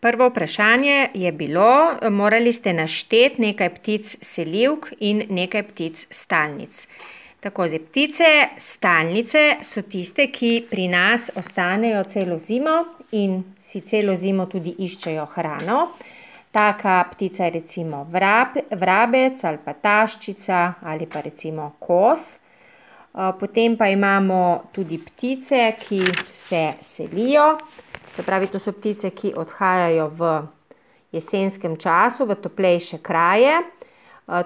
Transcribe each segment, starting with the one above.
Prvo vprašanje je bilo, morali ste našteti nekaj ptic selivk in nekaj ptic stalnic. Tako, zdaj, ptice stalnice so tiste, ki pri nas ostanejo celo zimo in si celo zimo tudi iščejo hrano. Taka ptica je recimo vrabec ali pa taščica ali pa recimo kos. Potem pa imamo tudi ptice, ki se selijo. Se pravi, to so ptice, ki odhajajo v jesenskem času, v toplejše kraje.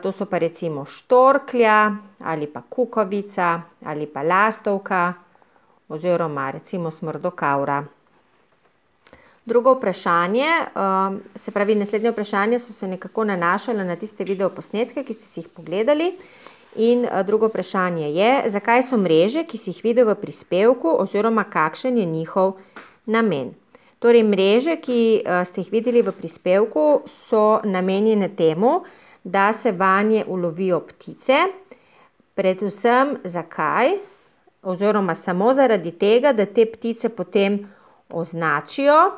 To so pa recimo štorklja ali pa kukavica ali pa lastovka oziroma recimo smrdokavra. Drugo vprašanje, se pravi, naslednje vprašanje so se nekako nanašala na tiste videoposnetke, ki ste si jih pogledali. In drugo vprašanje je, zakaj so mreže, ki si jih videl v prispevku oziroma kakšen je njihov namen. Torej, mreže, ki ste jih videli v prispevku, so namenjene temu, da se vanje ulovijo ptice. Predvsem zakaj? Oziroma samo zaradi tega, da te ptice potem označijo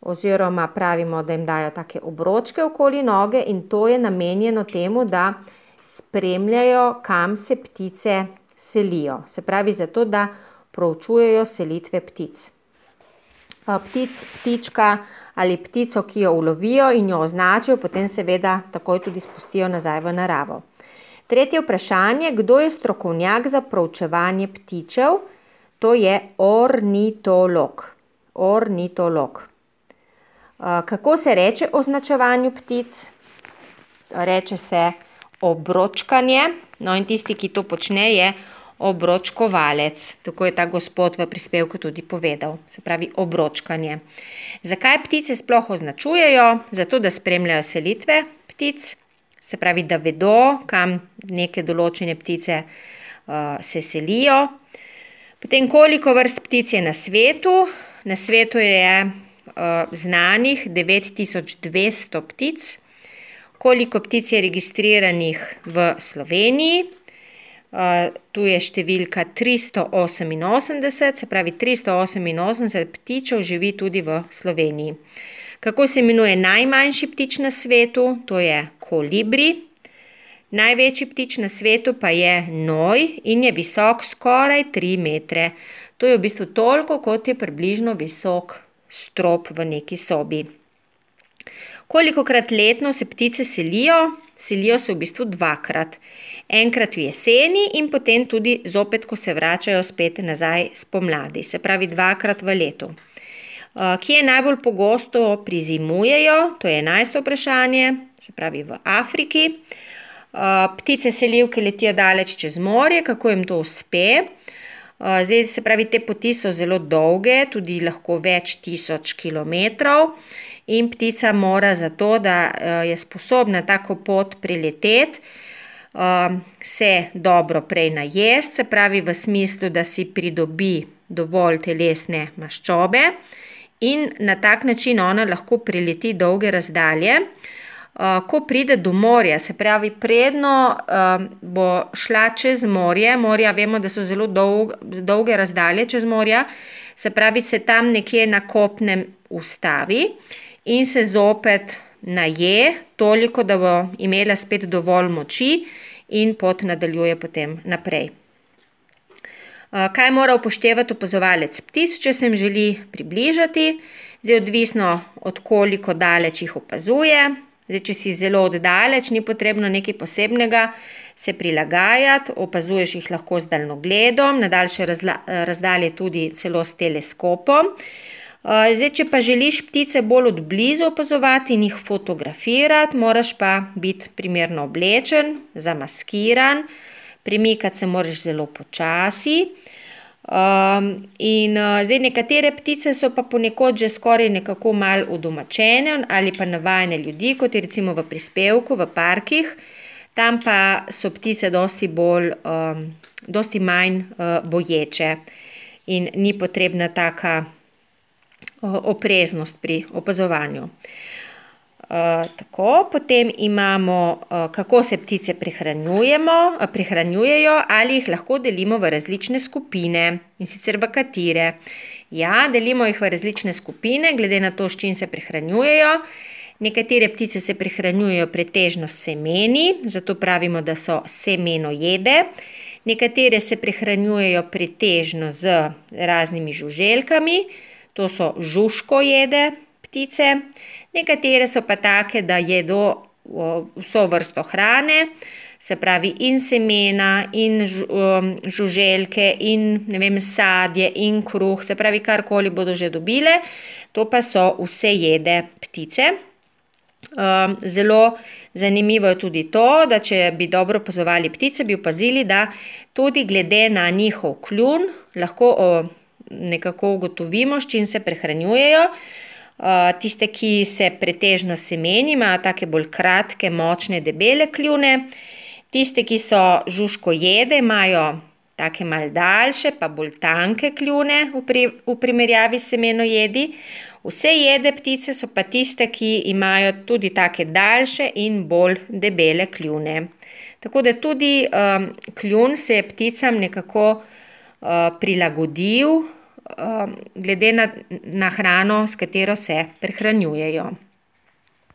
oziroma pravimo, da jim dajo take obročke okoli noge in to je namenjeno temu, da spremljajo, kam se ptice selijo. Se pravi, zato, da proučujejo selitve ptic. Ptička ali ptico, ki jo ulovijo in jo označijo, potem seveda takoj tudi spustijo nazaj v naravo. Tretje vprašanje, kdo je strokovnjak za proučevanje ptičev? To je ornitolog. Ornitolog. Kako se reče označevanju ptic? Reče se obročkanje, no in tisti, ki to počne, je obročkovalec. Tako je ta gospod v prispevku tudi povedal, se pravi obročkanje. Zakaj ptice sploh označujejo? Zato, da spremljajo selitve ptic, se pravi, da vedo, kam neke določene ptice se selijo. Potem, koliko vrst ptic je na svetu? Na svetu je znanih 9200 ptic. Koliko ptic je registriranih v Sloveniji? Tu je številka 388, se pravi 388 ptičev živi tudi v Sloveniji. Kako se imenuje najmanjši ptič na svetu? To je kolibri. Največji ptič na svetu pa je noj in je visok skoraj 3 metre. To je v bistvu toliko, kot je približno visok strop v neki sobi. Kolikokrat letno se ptice selijo? Selijo se v bistvu dvakrat. Enkrat v jeseni in potem tudi zopet, ko se vračajo spet nazaj spomladi. Se pravi dvakrat v letu. Kje najbolj pogosto prizimujejo? To je 11. vprašanje, se pravi v Afriki. Ptice selivke letijo daleč čez morje. Kako jim to uspe? Zdaj, se pravi, te poti so zelo dolge, tudi lahko več tisoč kilometrov. In ptica mora zato, da je sposobna tako pot preleteti, se dobro prej najesti, se pravi v smislu, da si pridobi dovolj telesne maščobe in na tak način ona lahko preleti dolge razdalje. Ko pride do morja, se pravi predno bo šla čez morje, morja vemo, da so zelo dolge razdalje čez morja, se pravi se tam nekje na kopnem ustavi in se zopet naje toliko, da bo imela spet dovolj moči in pot nadaljuje potem naprej. Kaj mora upoštevati opazovalec ptic, če se jim želi približati? Zdaj, odvisno od koliko daleč jih opazuje. Zdaj, če si zelo oddaleč, ni potrebno nekaj posebnega se prilagajati, opazuješ jih lahko z daljnogledom, na daljše razdalje tudi celo s teleskopom. Zdaj, če pa želiš ptice bolj od blizu opazovati in jih fotografirati, moraš pa biti primerno oblečen, zamaskiran, premikati se moraš zelo počasi. Zdaj nekatere ptice so pa ponekod že skoraj nekako malo udomačene ali pa navajene ljudi, kot je recimo v prispevku, v parkih. Tam pa so ptice dosti manj boječe in ni potrebna taka opreznost pri opazovanju. Tako, potem imamo, kako se ptice prehranjujejo, ali jih lahko delimo v različne skupine in sicer v katere. Ja, delimo jih v različne skupine, glede na to, s čim se prehranjujejo. Nekatere ptice se prehranjujejo pretežno s semeni, zato pravimo, da so semenojede. Nekatere se prehranjujejo pretežno z raznimi žuželkami, to so žužkojede ptice. Nekatere so pa take, da jedo vso vrsto hrane, se pravi in semena, in žuželke, in sadje, in kruh, se pravi karkoli bodo že dobile, to pa so vsejede ptice. Zelo zanimivo je tudi to, da če bi dobro opazovali ptice, bi opazili, da tudi glede na njihov kljun lahko nekako ugotovimo, s čim se prehranjujejo. Tiste, ki se pretežno semeni, imajo take bolj kratke, močne, debele kljune. Tiste, ki so žužkojede, imajo take malo daljše, pa bolj tanke kljune v primerjavi s semenojedi. Vsejede ptice so pa tiste, ki imajo tudi take daljše in bolj debele kljune. Tako da tudi kljun se je pticam nekako prilagodil glede na hrano, s katero se prehranjujejo.